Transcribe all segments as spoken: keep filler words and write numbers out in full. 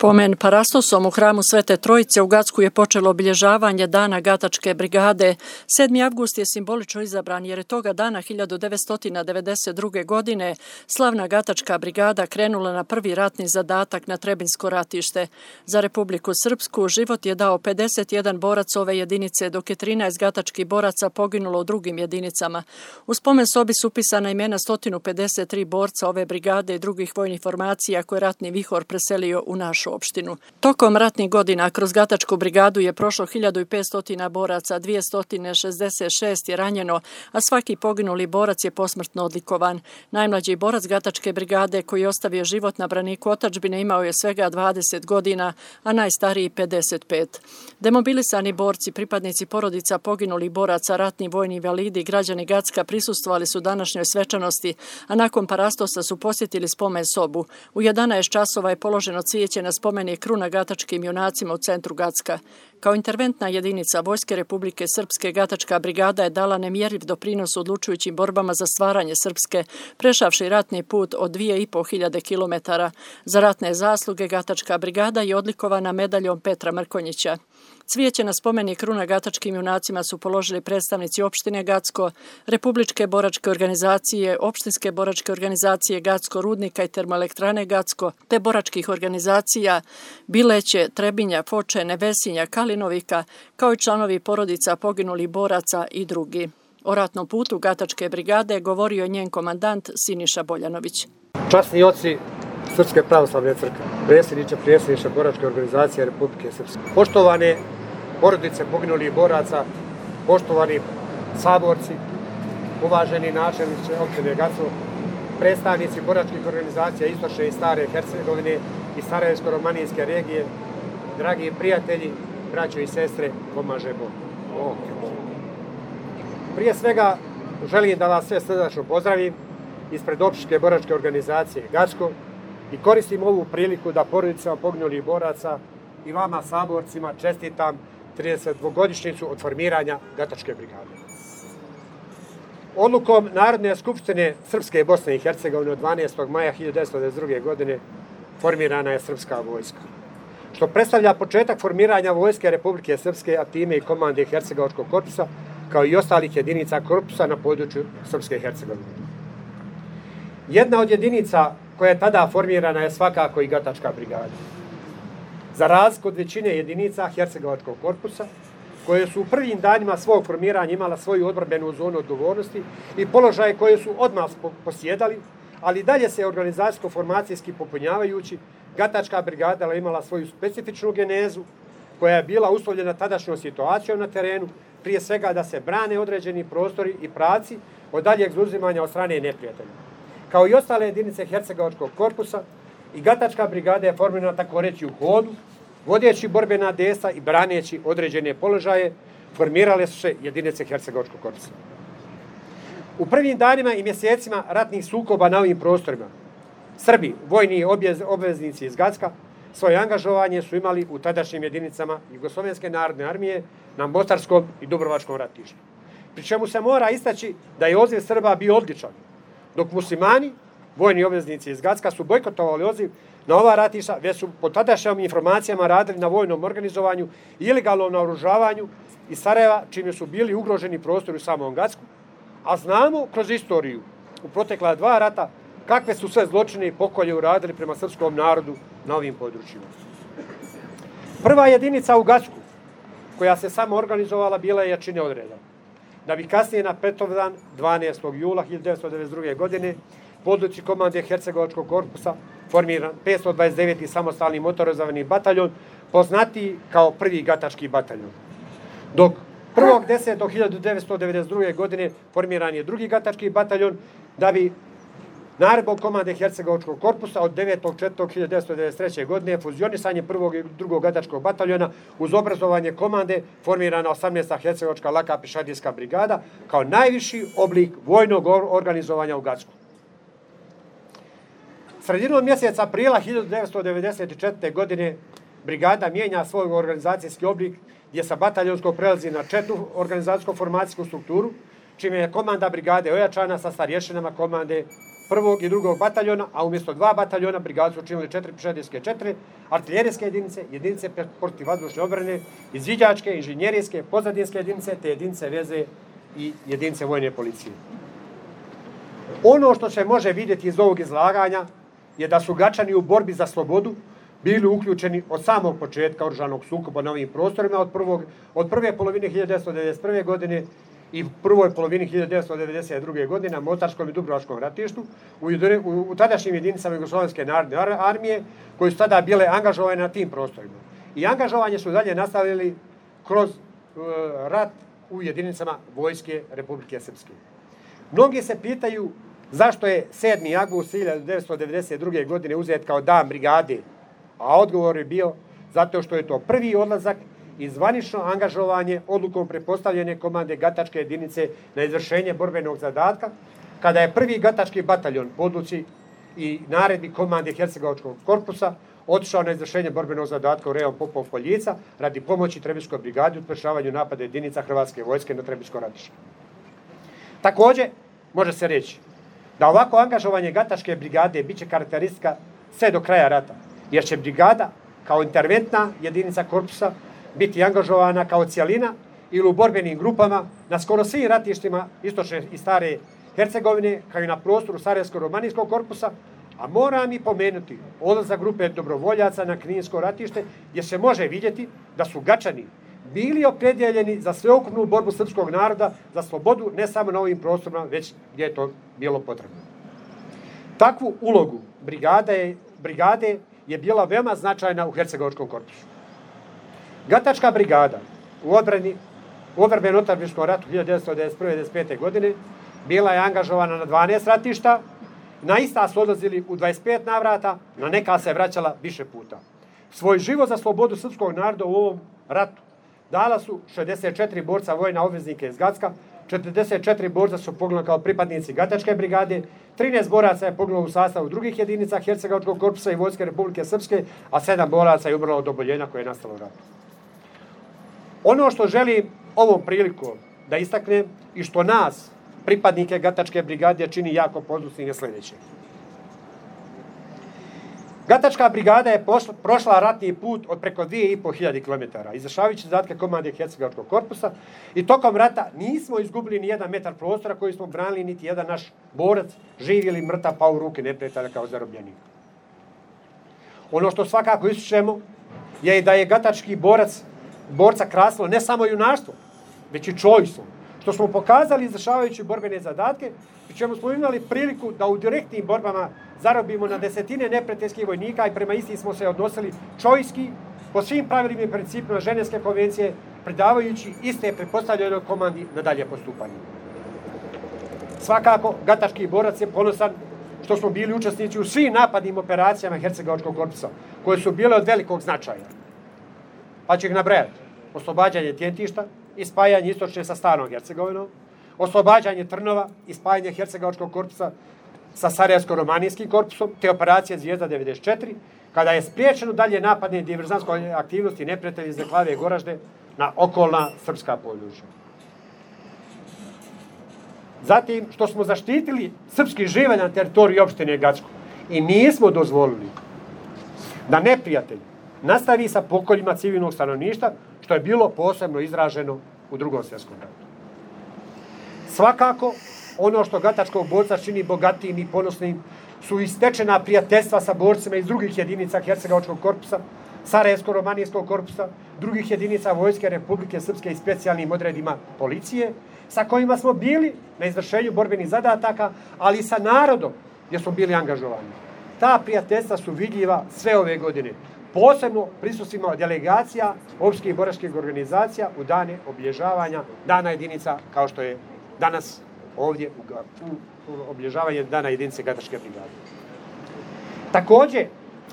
Pomen Parastosom u hramu Svete Trojice u Gacku je počelo obilježavanje Dana Gatačke brigade. sedmi avgust je simbolično izabran jer je toga dana hiljadu devetsto devedeset druge. godine slavna Gatačka brigada krenula na prvi ratni zadatak na Trebinsko ratište. Za Republiku Srpsku život je dao pedeset jedan borac ove jedinice, dok je trinaest gatačkih boraca poginulo u drugim jedinicama. U spomen sobi su upisana imena sto pedeset tri borca ove brigade i drugih vojnih formacija koje ratni vihor preselio u našu opštinu. Tokom ratnih godina kroz Gatačku brigadu je prošlo hiljadu petsto boraca, dvjesto šezdeset šest je ranjeno, a svaki poginuli borac je posmrtno odlikovan. Najmlađi borac Gatačke brigade koji je ostavio život na braniku otadžbine imao je svega dvadeset godina, a najstariji pedeset pet. Demobilisani borci, pripadnici porodica poginulih boraca, ratni vojni invalidi i građani Gacka prisustvovali su današnjoj svečanosti, a nakon Parastosa su posjetili spomen sobu. U jedanaest časova je položeno cvijeće na spomenik kruna gatačkim junacima u centru Gacka. Kao interventna jedinica Vojske Republike Srpske, Gatačka brigada je dala nemjerljiv doprinos u odlučujućim borbama za stvaranje Srpske, prešavši ratni put od dvije i po hiljade kilometara. Za ratne zasluge Gatačka brigada je odlikovana medaljom Petra Mrkonjića. Cvijeće na spomenik kruna gatačkim junacima su položili predstavnici opštine Gacko, Republičke boračke organizacije, opštinske boračke organizacije Gacko, Rudnika i termoelektrane Gacko, te boračkih organizacija Bileće, Trebinja, Foče, Nevesinja, Kalinovika, kao i članovi porodica poginulih boraca i drugi. O ratnom putu Gatačke brigade govorio je njen komandant Siniša Boljanović. Časni oci Srpske pravoslavne crkve, predsjedniče, predsjedniče boračke organizacije Republike Srpske, poštovane porodice poginulih boraca, poštovani saborci, uvaženi načelnici opštine Gacko, predstavnici boračkih organizacija Istočne i Stare Hercegovine i Sarajevsko-romanijske regije, dragi prijatelji, braćo i sestre, pomaže Bog. Prije svega želim da vas sve srdačno pozdravim ispred opštinske boračke organizacije Gacko i koristim ovu priliku da porodicama poginulih boraca i vama saborcima čestitam tridesetdvogodišnjicu od formiranja Gatačke brigade. Odlukom Narodne skupštine Srpske Bosne i Hercegovine od dvanaestog maja hiljadu devetsto devedeset druge. godine formirana je Srpska vojska, što predstavlja početak formiranja Vojske Republike Srpske, a time i komande Hercegovačkog korpusa, kao i ostalih jedinica korpusa na području Srpske Hercegovine. Jedna od jedinica koja je tada formirana je svakako i Gatačka brigada. Za razliku od većine jedinica Hercegovačkog korpusa, koje su u prvim danima svog formiranja imala svoju odbrambenu zonu odgovornosti i položaje koje su odmah posjedali, ali dalje se organizacijsko-formacijski popunjavajući, Gatačka brigada je imala svoju specifičnu genezu koja je bila uslovljena tadašnjom situacijom na terenu, prije svega da se brane određeni prostori i pravci od daljeg zauzimanja od strane neprijatelja. Kao i ostale jedinice Hercegovačkog korpusa, i Gatačka brigada je formirana tako reći u hodu, vodeći borbena dejstva i braneći određene položaje, formirale su se jedinice Hercegovačkog korpusa. U prvim danima i mjesecima ratnih sukoba na ovim prostorima, Srbi, vojni obveznici iz Gacka, svoje angažovanje su imali u tadašnjim jedinicama Jugoslovenske narodne armije na Mostarskom i Dubrovačkom ratištu. Pri čemu se mora istaći da je odziv Srba bio odličan, dok muslimani, vojni obveznici iz Gacka, su bojkotovali odziv na ova ratišta, već su po tadašnjim informacijama radili na vojnom organizovanju i ilegalnom naoružavanju iz Sarajeva, čime su bili ugroženi prostori u samom Gacku, a znamo kroz istoriju u protekla dva rata kakve su sve zločine i pokolje uradili prema srpskom narodu na ovim područjima. Prva jedinica u Gacku koja se samo organizovala bila je jačine odreda, da bi kasnije na Petrovdan dvanaestog jula hiljadu devetsto devedeset druge. godine po odluci komande Hercegovačkog korpusa formiran petsto dvadeset deveti samostalni motorizovani bataljon, poznatiji kao prvi Gatački bataljon. Dok prvog desetog hiljadu devetsto devedeset druge. godine formiran je drugi Gatački bataljon, da bi naredbom komande Hercegovačkog korpusa od devetog četvrtog hiljadu devetsto devedeset treće. godine fuzionisanje prvog i drugog Gatačkog bataljona uz obrazovanje komande formirana osamnaesta Hercegovačka laka pješadijska brigada kao najviši oblik vojnog organizovanja u Gacku. Sredinom mjeseca aprila hiljadu devetsto devedeset četvrte. godine brigada mijenja svoj organizacijski oblik gdje sa bataljonskog prelazi na četvrtu organizacijsko-formacijsku strukturu, čime je komanda brigade ojačana sa starješinama komande prvog i drugog bataljona, a umjesto dva bataljona brigadu su učinili četiri pješadijske četiri, artiljerijske jedinice, jedinice protivvazdušne obrane, izviđačke, inženjerijske, pozadinske jedinice, te jedinice veze i jedinice vojne policije. Ono što se može vidjeti iz ovog izlaganja je da su Gačani u borbi za slobodu bili uključeni od samog početka oružanog sukoba na ovim prostorima, od, prvog, od prve polovine hiljadu devetsto devedeset prve. godine i prvoj polovini hiljadu devetsto devedeset druge. godine na Mostarskom i Dubrovačkom ratištu u, u, u tadašnjim jedinicama Jugoslovenske narodne armije koji su tada bile angažovane na tim prostorima. I angažovanje su dalje nastavili kroz uh, rat u jedinicama Vojske Republike Srpske. Mnogi se pitaju zašto je sedmi avgust hiljadu devetsto devedeset druge. godine uzet kao dan brigade, a odgovor je bio zato što je to prvi odlazak i zvanično angažovanje odlukom prepostavljene komande Gatačke jedinice na izvršenje borbenog zadatka, kada je prvi Gatački bataljon po odluci i naredbi komande Hercegovačkog korpusa otišao na izvršenje borbenog zadatka u rejon Popov Poljica radi pomoći Trebinjskoj brigadi u sprečavanju napada jedinica Hrvatske vojske na Trebinjsko ratište. Također, može se reći da ovako angažovanje Gatačke brigade bit će karakteristika sve do kraja rata, jer će brigada kao interventna jedinica korpusa biti angažovana kao cijelina ili u borbenim grupama na skoro svim ratištima istočne i stare Hercegovine, kao i na prostoru Sarajevsko-romanijskog korpusa, a moram i pomenuti odlazak grupe dobrovoljaca na Kninsko ratište, gdje se može vidjeti da su Gačani bili opredjeljeni za sveukupnu borbu srpskog naroda za slobodu ne samo na ovim prostorima, već gdje je to bilo potrebno. Takvu ulogu brigade je, brigade je bila veoma značajna u Hercegovačkom korpusu. Gatačka brigada u odbrani u odbrambeno-otadžbinskom ratu hiljadu devetsto devedeset prve do devedeset pete. godine bila je angažovana na dvanaest ratišta, na ista su odlazili u dvadeset pet navrata, na neka se vraćala više puta. Svoj život za slobodu srpskog naroda u ovom ratu dala su šezdeset četiri borca vojna obveznike iz Gacka, četrdeset četiri borca su poginuli kao pripadnici Gatačke brigade, trinaest boraca je poginulo u sastavu drugih jedinica Hercegovačkog korpusa i Vojske Republike Srpske, a sedam boraca je umrlo od oboljenja koje je nastalo u ratu. Ono što želim ovom prilikom da istaknem i što nas, pripadnike Gatačke brigade, čini jako ponosnim je sljedeće. Gatačka brigada je pošla, prošla ratni put od preko dvije i po hiljade kilometara, izvršavajući zadatke komande Hercegovačkog korpusa, i tokom rata nismo izgubili ni jedan metar prostora koji smo branili, niti jedan naš borac, živ ili mrtav, pao u ruke neprijatelja kao zarobljenik. Ono što svakako ističemo je da je gatački borac, borca krasilo ne samo junaštvo, već i čojstvo, što smo pokazali izvršavajući borbene zadatke, pri čemu smo imali priliku da u direktnim borbama zarobimo na desetine neprijateljskih vojnika i prema istim smo se odnosili čojski, po svim pravilima i principima Ženevske konvencije, predavajući iste pretpostavljenoj komandi na dalje postupanje. Svakako, gatački borac je ponosan što smo bili učesnici u svim napadnim operacijama Hercegovačkog korpusa, koje su bile od velikog značaja. Pa ću ih nabrajati. Oslobađanje Tjentišta i spajanje istočne sa starom Hercegovinom, oslobađanje Trnova i spajanje Hercegovačkog korpusa sa Sarajevsko-romanijskim korpusom, te operacija Zvijezda devedeset četiri, kada je spriječeno dalje napadne diverzantske aktivnosti neprijatelja iz Deklave i Goražde na okolna srpska područja. Zatim, što smo zaštitili srpski živalj na teritoriji opštine Gacko i nismo dozvolili da neprijatelj nastavi sa pokoljima civilnog stanovništva, što je bilo posebno izraženo u Drugom svjetskom ratu. Svakako, ono što gatačkog borca čini bogatijim i ponosnim su istečena prijateljstva sa borcima iz drugih jedinica Hercegovačkog korpusa, Sarajevsko-romanijskog korpusa, drugih jedinica Vojske Republike Srpske i specijalnim odredima policije, sa kojima smo bili na izvršenju borbenih zadataka, ali i sa narodom gdje smo bili angažovani. Ta prijateljstva su vidljiva sve ove godine, posebno prisustvima delegacija opštih boračkih organizacija u dane obilježavanja dana jedinica, kao što je danas ovdje u, u obilježavanje dana jedinice Gatačke brigade. Također,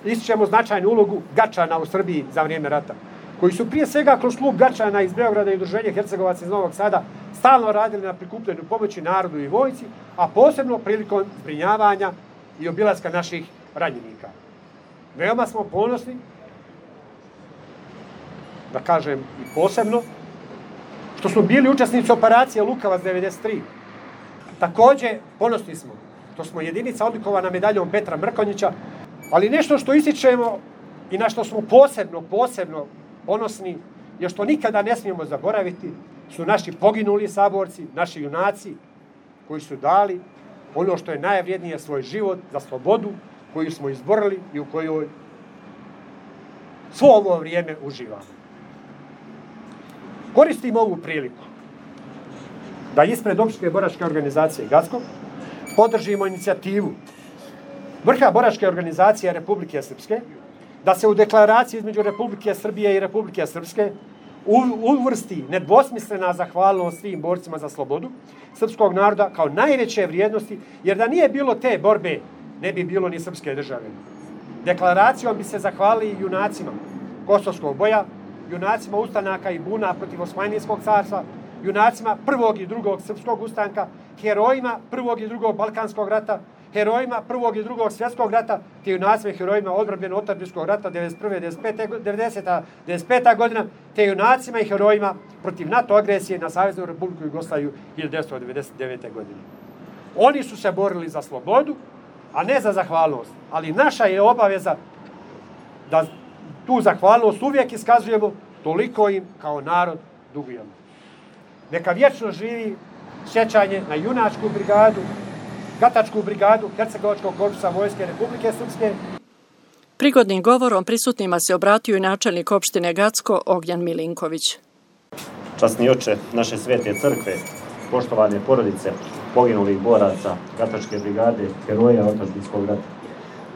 ističemo značajnu ulogu Gačana u Srbiji za vrijeme rata, koji su prije svega kroz klub Gačana iz Beograda i udruženje Hercegovaca iz Novog Sada stalno radili na prikupljenju pomoći narodu i vojci, a posebno prilikom zbrinjavanja i obilaska naših ranjenika. Veoma smo ponosni, da kažem i posebno, što smo bili učesnici operacije Lukavac devedeset tri. Također ponosni smo što smo jedinica odlikovana medaljom Petra Mrkonjića, ali nešto što ističemo i na što smo posebno, posebno ponosni, je što nikada ne smijemo zaboraviti, su naši poginuli saborci, naši junaci, koji su dali ono što je najvrijednije, svoj život za slobodu, koju smo izborili i u kojoj svo ovo vrijeme uživamo. Koristim ovu priliku da ispred Opštinske boračke organizacije Gacko podržimo inicijativu vrha boračke organizacije Republike Srpske, da se u deklaraciji između Republike Srbije i Republike Srpske uvrsti nedvosmislena zahvalnost svim borcima za slobodu srpskog naroda kao najveće vrijednosti, jer da nije bilo te borbe, ne bi bilo ni srpske države. Deklaracijom bi se zahvalili junacima Kosovskog boja, junacima ustanaka i buna protiv Osmanlijskog carstva, junacima prvog i drugog srpskog ustanka, herojima prvog i drugog Balkanskog rata, herojima prvog i drugog svjetskog rata, te junacima i herojima odbranbenog otadžbinskog rata devedeset prve, devedesete, devedeset pete godina, te junacima i herojima protiv NATO agresije na Saveznu Republiku Jugoslaviju hiljadu devetsto devedeset devete. godine. Oni su se borili za slobodu, a ne za zahvalnost. Ali naša je obaveza da tu zahvalnost uvijek iskazujemo, toliko im kao narod dugujemo. Neka vječno živi sjećanje na junačku brigadu, Gatačku brigadu Hercegovačkog korpusa Vojske Republike Srpske. Prigodnim govorom prisutnima se obratio i načelnik opštine Gacko Ognjan Milinković. Časni oče naše svete crkve, poštovane porodice poginulih boraca Gatačke brigade, heroja otadžbinskog rata,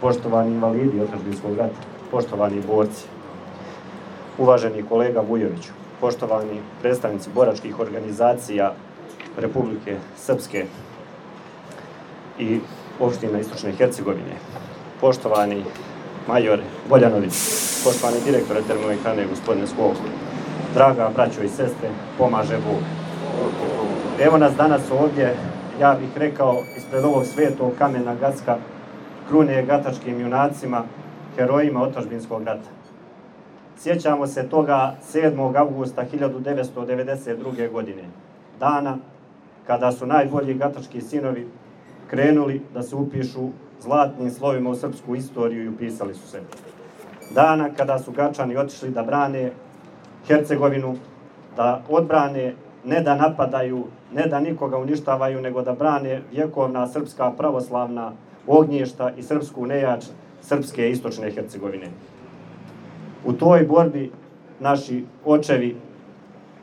poštovani invalidi otadžbinskog rata, poštovani borci, uvaženi kolega Vujoviću, poštovani predstavnici boračkih organizacija Republike Srpske i opština Istočne Hercegovine, poštovani major Boljanović, poštovani direktore termoelektrane gospodine Skok, draga braćo i sestre, pomaže Bog. Evo nas danas ovdje, ja bih rekao, ispred ovog svetog kamena Gacka, krune gatačkim junacima, herojima otadžbinskog rata. Sjećamo se toga sedmog avgusta hiljadu devetsto devedeset druge. godine, dana kada su najbolji gatački sinovi krenuli da se upišu zlatnim slovima u srpsku istoriju i upisali su se. Dana kada su Gačani otišli da brane Hercegovinu, da odbrane, ne da napadaju, ne da nikoga uništavaju, nego da brane vjekovna srpska pravoslavna ognjišta i srpsku nejač srpske Istočne Hercegovine. U toj borbi naši očevi,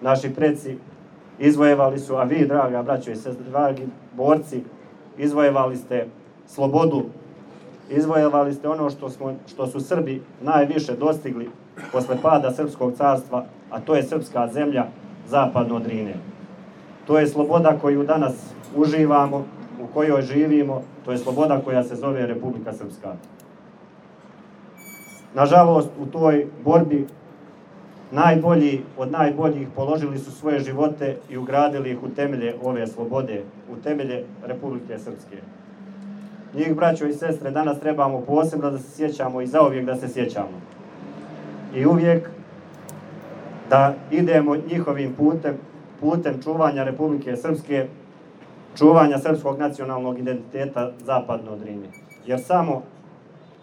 naši preci izvojevali su, a vi, draga braćo i sestre, dragi borci, izvojevali ste slobodu, izvojevali ste ono što, smo, što su Srbi najviše dostigli posle pada Srpskog carstva, a to je srpska zemlja zapadno od Drine. To je sloboda koju danas uživamo, u kojoj živimo, to je sloboda koja se zove Republika Srpska. Nažalost, u toj borbi najbolji od najboljih položili su svoje živote i ugradili ih u temelje ove slobode, u temelje Republike Srpske. Njih, braćo i sestre, danas trebamo posebno da se sjećamo i zauvijek da se sjećamo. I uvijek da idemo njihovim putem, putem čuvanja Republike Srpske, čuvanja srpskog nacionalnog identiteta zapadno od Drine. Jer samo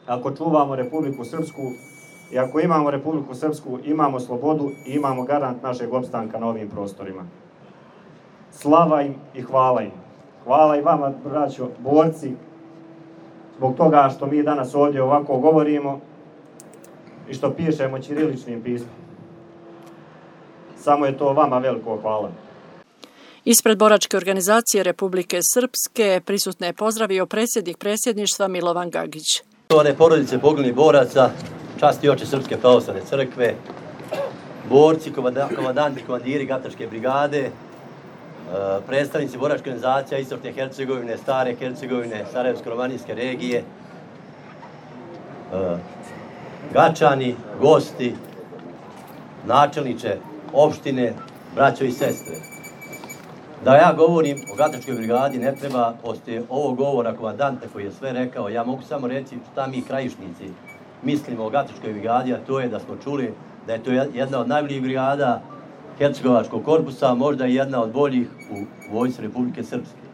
ako čuvamo Republiku Srpsku i ako imamo Republiku Srpsku, imamo slobodu i imamo garant našeg opstanka na ovim prostorima. Slava im i hvala im. Hvala i vama, braćo, borci, zbog toga što mi danas ovdje ovako govorimo i što pišemo ćiriličnim pismom. Samo je to vama veliko hvala. Ispred boračke organizacije Republike Srpske prisutne je pozdravio predsjednik predsjedništva Milovan Gagić. Poštovane porodice poginulih boraca, časni oče Srpske pravoslavne crkve, borci, komandanti, komandiri Gatačke brigade, predstavnici boračke organizacija Istočne Hercegovine, Stare Hercegovine, Sarajevsko-romanijske regije, Gačani, gosti, načelniče opštine, braćo i sestre. Da ja govorim o Gatačkoj brigadi ne treba, poslije ovog govora komandanta koji je sve rekao, ja mogu samo reći šta mi krajišnici mislimo o Gatačkoj brigadi, a to je da smo čuli da je to jedna od najboljih brigada Hercegovačkog korpusa, možda i jedna od boljih u vojsci Republike Srpske.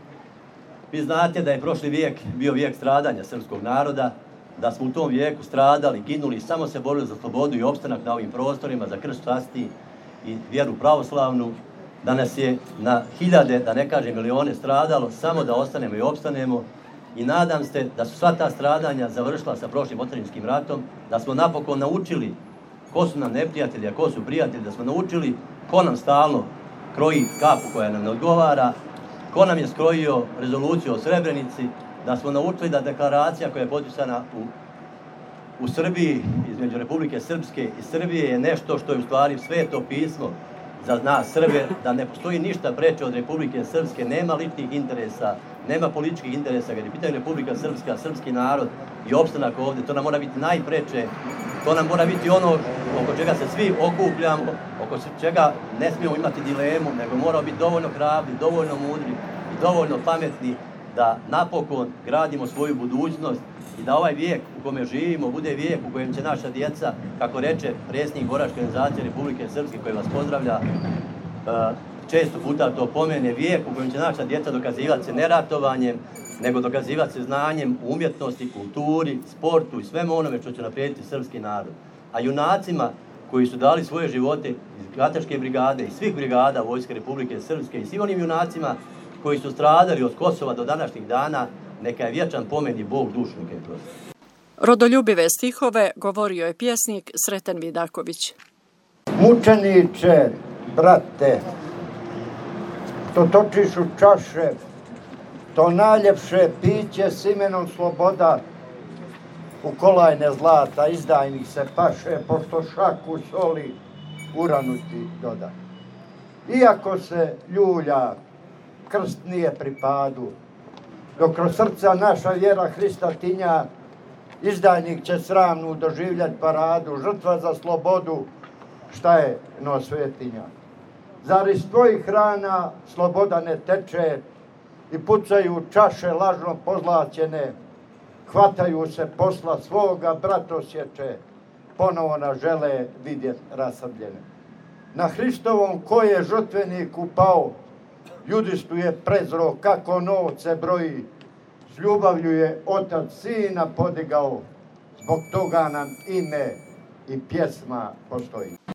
Vi znate da je prošli vijek bio vijek stradanja srpskog naroda, da smo u tom vijeku stradali, ginuli, samo se borili za slobodu i opstanak na ovim prostorima, za krst časti i vjeru pravoslavnu, da nas je na hiljade, da ne kažem milione, stradalo, samo da ostanemo i opstanemo. I nadam se da su sva ta stradanja završila sa prošlim otadžbinskim ratom, da smo napokon naučili ko su nam neprijatelji, a ko su prijatelji, da smo naučili ko nam stalno kroji kapu koja nam ne odgovara, ko nam je skrojio rezoluciju o Srebrenici, da smo naučili da deklaracija koja je potpisana u, u Srbiji, između Republike Srpske i Srbije, je nešto što je u stvari sveto pismo za nas Srbe, da ne postoji ništa preče od Republike Srpske, nema ličnih interesa, nema političkih interesa, kad je pitanje Republika Srpska, srpski narod i opstanak ovdje, to nam mora biti najpreče, to nam mora biti ono oko čega se svi okupljamo, oko čega ne smijemo imati dilemu, nego moramo biti dovoljno hrabri, dovoljno mudri i dovoljno pametni da napokon gradimo svoju budućnost i da ovaj vijek u kome živimo bude vijek u kojem će naša djeca, kako reče predsjednik Boračke organizacije Republike Srpske, koji vas pozdravlja, često puta to pomene, vijek u kojem će naša djeca dokazivati se ne ratovanjem, nego dokazivati se znanjem, umjetnosti, kulturi, sportu i svemu onome što će naprijediti srpski narod. A junacima koji su dali svoje živote iz Gatačke brigade i svih brigada Vojske Republike Srpske i svim onim junacima koji su stradali od Kosova do današnjih dana, neka je vječan pomen i Bog dušu neka je prosti. Rodoljubive stihove govorio je pjesnik Sreten Vidaković. Mučeniče, brate, to točiš u čaše, to najljepše piće s imenom sloboda, u kolajne zlata izdajnik se paše, pošto šaku soli uranu ti doda. Iako se ljulja, krst nije pri padu, dok kroz srca naša vjera Hrista tinja, izdajnik će sramnu doživljati paradu, žrtva za slobodu, šta je no svetinja. Zar iz tvojih rana sloboda ne teče i pucaju čaše lažno pozlaćene, hvataju se posla svoga bratosječe, ponovo nas žele vidjeti rasabljene. Na Hristovom ko je žrtvenik upao, judistu je prezro kako novce broji, s ljubavlju je otac sina podigao, zbog toga nam ime i pjesma postoji.